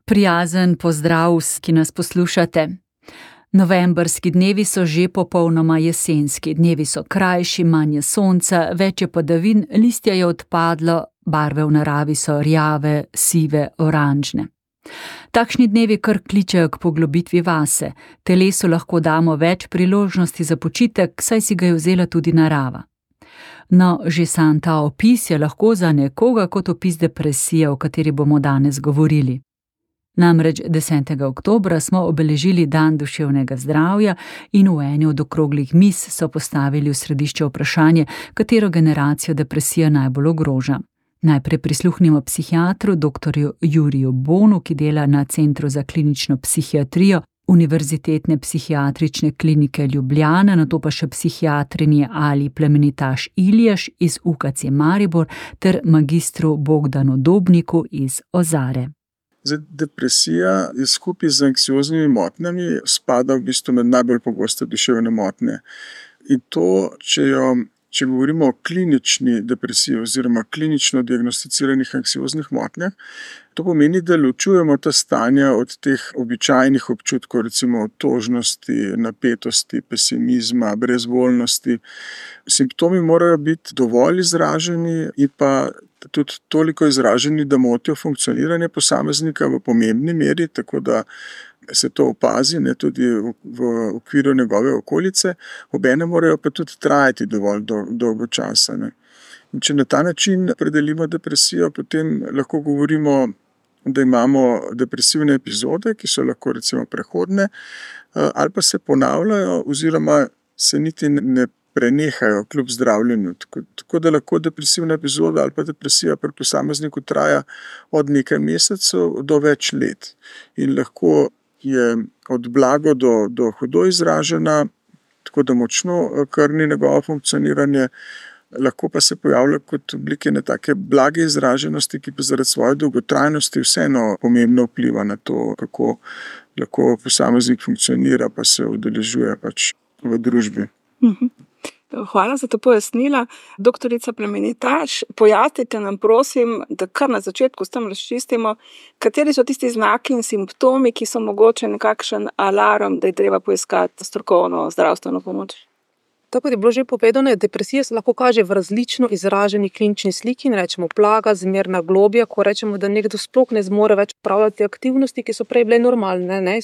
Prijazen pozdrav, ki nas poslušate. Novembrski dnevi so že popolnoma jesenski. Dnevi so krajši, manj je sonca, več je padavin, listja je odpadlo, barve v naravi so rjave, sive, oranžne. Takšni dnevi kar kličejo k poglobitvi vase. Telesu lahko damo več priložnosti za počitek, saj si ga je vzela tudi narava. No, že sam ta opis je lahko za nekoga kot opis depresije, o kateri bomo danes govorili. Namreč 10. oktobra smo obeležili Dan duševnega zdravja in v eni od okroglih miz so postavili v središče vprašanje, katero generacijo depresija najbolj ogroža. Najprej prisluhnimo psihiatru dr. Juriju Bonu, ki dela na Centru za klinično psihiatrijo Univerzitetne psihiatrične klinike Ljubljana, nato pa še psihiatrinji Ali Plemenitaš Iljaš iz UKC Maribor ter magistru Bogdanu Dobniku iz Ozare. Depresija je skupaj z anksioznimi motnjami spada v bistvu med najbolj pogoste duševne motnje. In to, če govorimo o klinični depresiji oziroma klinično diagnosticiranih anksioznih motnjah, to pomeni, da ločujemo ta stanja od teh običajnih občutkov, recimo otožnosti, napetosti, pesimizma, brezvoljnosti. Simptomi morajo biti dovolj izraženi in pa tudi toliko izraženi, da motijo funkcioniranje posameznika v pomembni meri, tako da se to opazi, tudi v okviru njegove okolice, obenem morajo pa tudi trajati dovolj dolgo časa. In če na ta način opredelimo depresijo, potem lahko govorimo, da imamo depresivne epizode, ki so lahko recimo prehodne, ali pa se ponavljajo oziroma se niti ne prenehajo kljub zdravljenju. Tako da lahko depresivna epizoda ali pa depresija pri posamezniku traja od nekaj mesecev do več let. In lahko je od blago do hudo izražena, tako da močno krni njegovo funkcioniranje, lahko pa se pojavlja kot oblike take blage izraženosti, ki pa zaradi svoje dolgotrajnosti vseeno pomembno vpliva na to, kako lahko posameznik funkcionira pa se udeležuje v družbi. Hvala za to pojasnila. Doktorica Plemenitaš, pojasnite nam prosim, da kar na začetku s tem razčistimo, kateri so tisti znaki in simptomi, ki so mogoče nekakšen alarm, da je treba poiskati strokovno zdravstveno pomoč. Tako je bilo že povedano, depresija se lahko kaže v različno izraženi klinični sliki, rečemo plaga, zmerna globja, ko rečemo, da nekdo sploh ne zmore več opravljati aktivnosti, ki so prej bile normalne,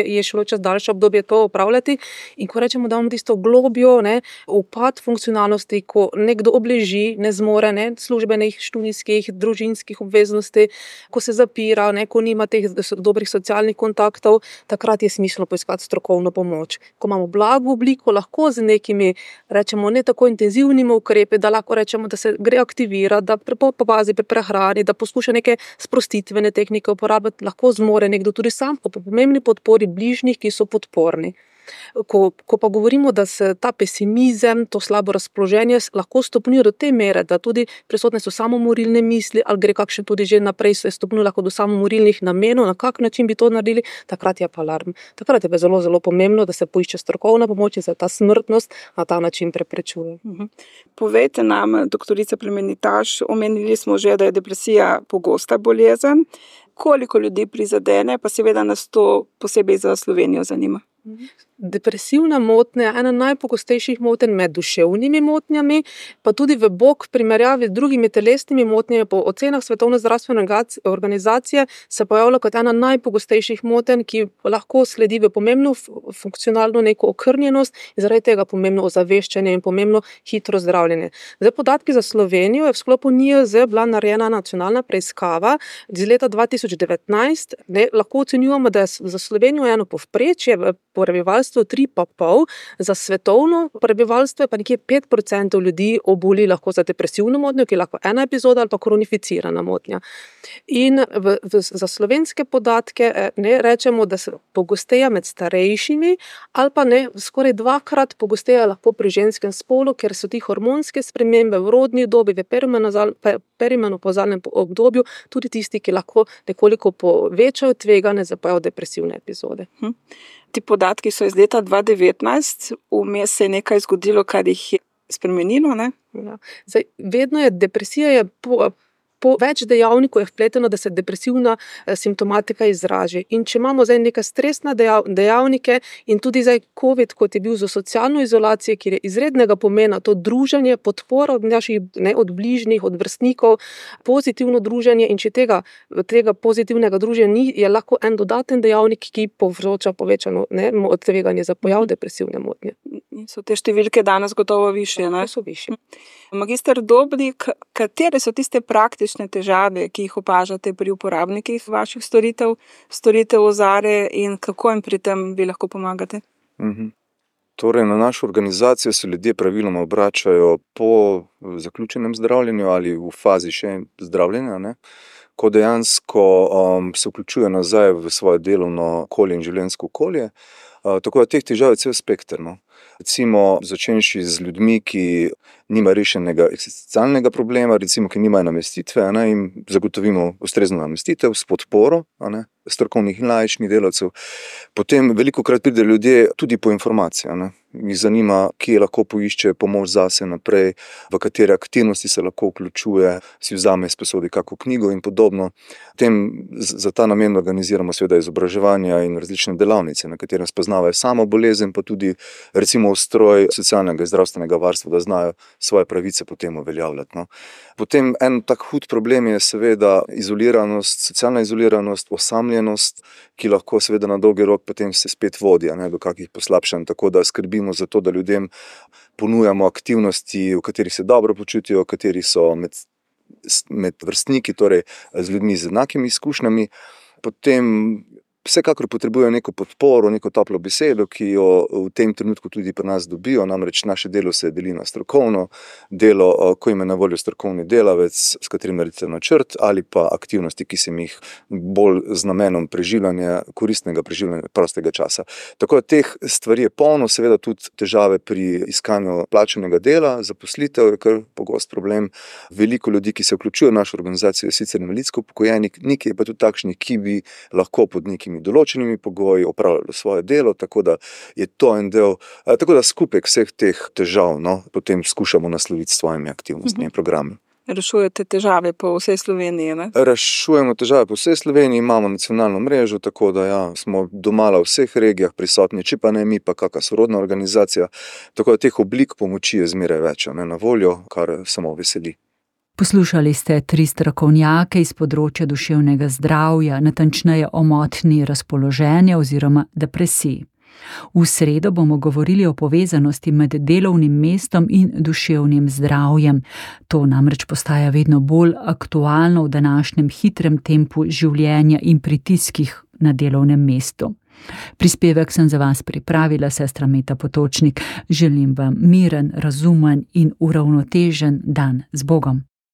je šlo čez daljše obdobje to opravljati, in ko rečemo, da imamo tisto globjo, upad funkcionalnosti, ko nekdo obleži, ne zmore, službenih, študijskih, družinskih obveznosti, ko se zapira, ko nima teh dobrih socialnih kontaktov, takrat je smiselno poiskati strokovno pomoč. Ko imamo blago obliko, lahko z nekimi, rečemo, ne tako intenzivnimi ukrepi, da lahko rečemo, da se gre aktivirati, da popazi pri prehrani, da poskuša neke sprostitvene tehnike uporabljati, lahko zmore nekdo tudi sam po pomembni podpori bližnjih, ki so podporni. Ko pa govorimo, da se ta pesimizem, to slabo razpoloženje lahko stopnjuje do te mere, da tudi prisotne so samomorilne misli, ali gre kakšen tudi že naprej se stopnjuje lahko do samomorilnih namenov, na kak način bi to naredili, takrat je pa alarm. Takrat je pa zelo, zelo pomembno, da se poišče strokovna pomoč in se ta smrtnost na ta način preprečuje. Povejte nam, doktorica Plemenitaš, omenili smo že, da je depresija pogosta bolezen. Koliko ljudi prizadene, pa seveda nas to posebej za Slovenijo zanima. Depresivna motnja je ena najpogostejših motenj med duševnimi motnjami, pa tudi v bok primerjavi z drugimi telesnimi motnjami po ocenah Svetovne zdravstvene organizacije se pojavlja kot ena najpogostejših motenj, ki lahko sledi v pomembno funkcionalno neko okrnjenost in zaradi tega pomembno ozaveščanje in pomembno hitro zdravljenje. Zdaj, podatki za Slovenijo je v sklopu NIJZ bila narejena nacionalna preiskava iz leta 2019. Lahko ocenjujemo, da je za Slovenijo eno povprečje v prebivalstvo 3,5, za svetovno prebivalstvo je pa nekje 5% ljudi oboli lahko za depresivno motnjo, ki je lahko ena epizoda ali pa kronificirana motnja. In za slovenske podatke rečemo, da se pogosteje med starejšimi ali pa skoraj 2-krat pogosteje lahko pri ženskem spolu, ker so ti hormonske spremembe v rodni dobi, v perimenopavzalnem obdobju tudi tisti, ki lahko nekoliko povečajo tveganje za pojav depresivne epizode. Ti podatki so iz leta 2019, vmes se je nekaj zgodilo, kar jih je spremenilo, ne? Ja. Zdaj, vedno je depresija po več dejavnikov je vpleteno, da se depresivna simptomatika izraži. In če imamo zdaj neke stresne dejavnike in tudi zdaj COVID, kot je bil za socialno izolacijo, kjer je izrednega pomena to druženje, podpora od naših, od bližnjih, od vrstnikov, pozitivno druženje, in če tega pozitivnega druženja ni, je lahko en dodaten dejavnik, ki povzroča povečano tveganje za pojav depresivne motnje. So te številke danes gotovo višje, ne? So višje. Magister Dobnik, katere so tiste praktične težave, ki jih opažate pri uporabnikih vaših storitev Ozare, in kako jim pri tem vi lahko pomagate? Torej, na našo organizacijo se ljudje praviloma obračajo po zaključenem zdravljenju ali v fazi še zdravljenja, ne? Ko dejansko se vključuje nazaj v svoje delovno okolje in življenjsko okolje. Tako da teh težav je cel spekter, no. Recimo, začenši z ljudmi, ki nima rešenega eksistencialnega problema, recimo, ki nimajo namestitve, ne, in zagotovimo ustrezno namestitev s podporo, ne, strokovnih in laičnih delavcev. Potem velikokrat pride ljudje tudi po informacije, ne. Jih zanima, kje lahko poišče pomoč zase naprej, v katere aktivnosti se lahko vključuje, si vzame izposodi kako knjigo in podobno. Potem za ta namen organiziramo seveda izobraževanja in različne delavnice, na katerem spoznavajo samo bolezen, pa tudi recimo ustroj socialnega in zdravstvenega varstva, da znajo svoje pravice potem uveljavljati, no. Potem en tak hud problem je seveda izoliranost, socialna izoliranost, osamljenost, ki lahko seveda na dolgi rok potem se spet vodi, ne, do kakih poslabšanj, tako da skrbimo za to, da ljudem ponujamo aktivnosti, v katerih se dobro počutijo, v katerih so med vrstniki, torej z ljudmi z enakimi izkušnjami. Potem vsekakor potrebujejo neko podporo, neko toplo besedo, ki jo v tem trenutku tudi pri nas dobijo, namreč naše delo se deli na strokovno delo, ko jim je na voljo strokovni delavec, s katerim naredite načrt, ali pa aktivnosti, ki se jih bolj z namenom koristnega preživljanja prostega časa. Tako da teh stvari je polno, seveda tudi težave pri iskanju plačanega dela, zaposlitev je kar pogost problem. Veliko ljudi, ki se vključujejo v našo organizacijo, je sicer invalidsko upokojeni, nekaj je pa tudi takšnih, ki bi lahko pod nekimi določenimi pogoji opravljalo svoje delo, tako da je to en del, tako da skupek vseh teh težav, no, potem skušamo nasloviti s svojimi aktivnostmi in programi. Rešujete težave po vsej Sloveniji, ne? Rešujemo težave po vsej Sloveniji, imamo nacionalno mrežo, tako da ja, smo domala v vseh regijah prisotni, če pa ne mi, pa kakšna sorodna organizacija, tako da teh oblik pomoči je zmeraj več, ne, na voljo, kar samo veseli. Poslušali ste 3 strokovnjake iz področja duševnega zdravja, natančneje o motnji razpoloženja oziroma depresiji. V sredo bomo govorili o povezanosti med delovnim mestom in duševnim zdravjem. To namreč postaja vedno bolj aktualno v današnjem hitrem tempu življenja in pritiskih na delovnem mestu. Prispevek sem za vas pripravila sestra Meta Potočnik. Želim vam miren, razumen in uravnotežen dan z Bogom.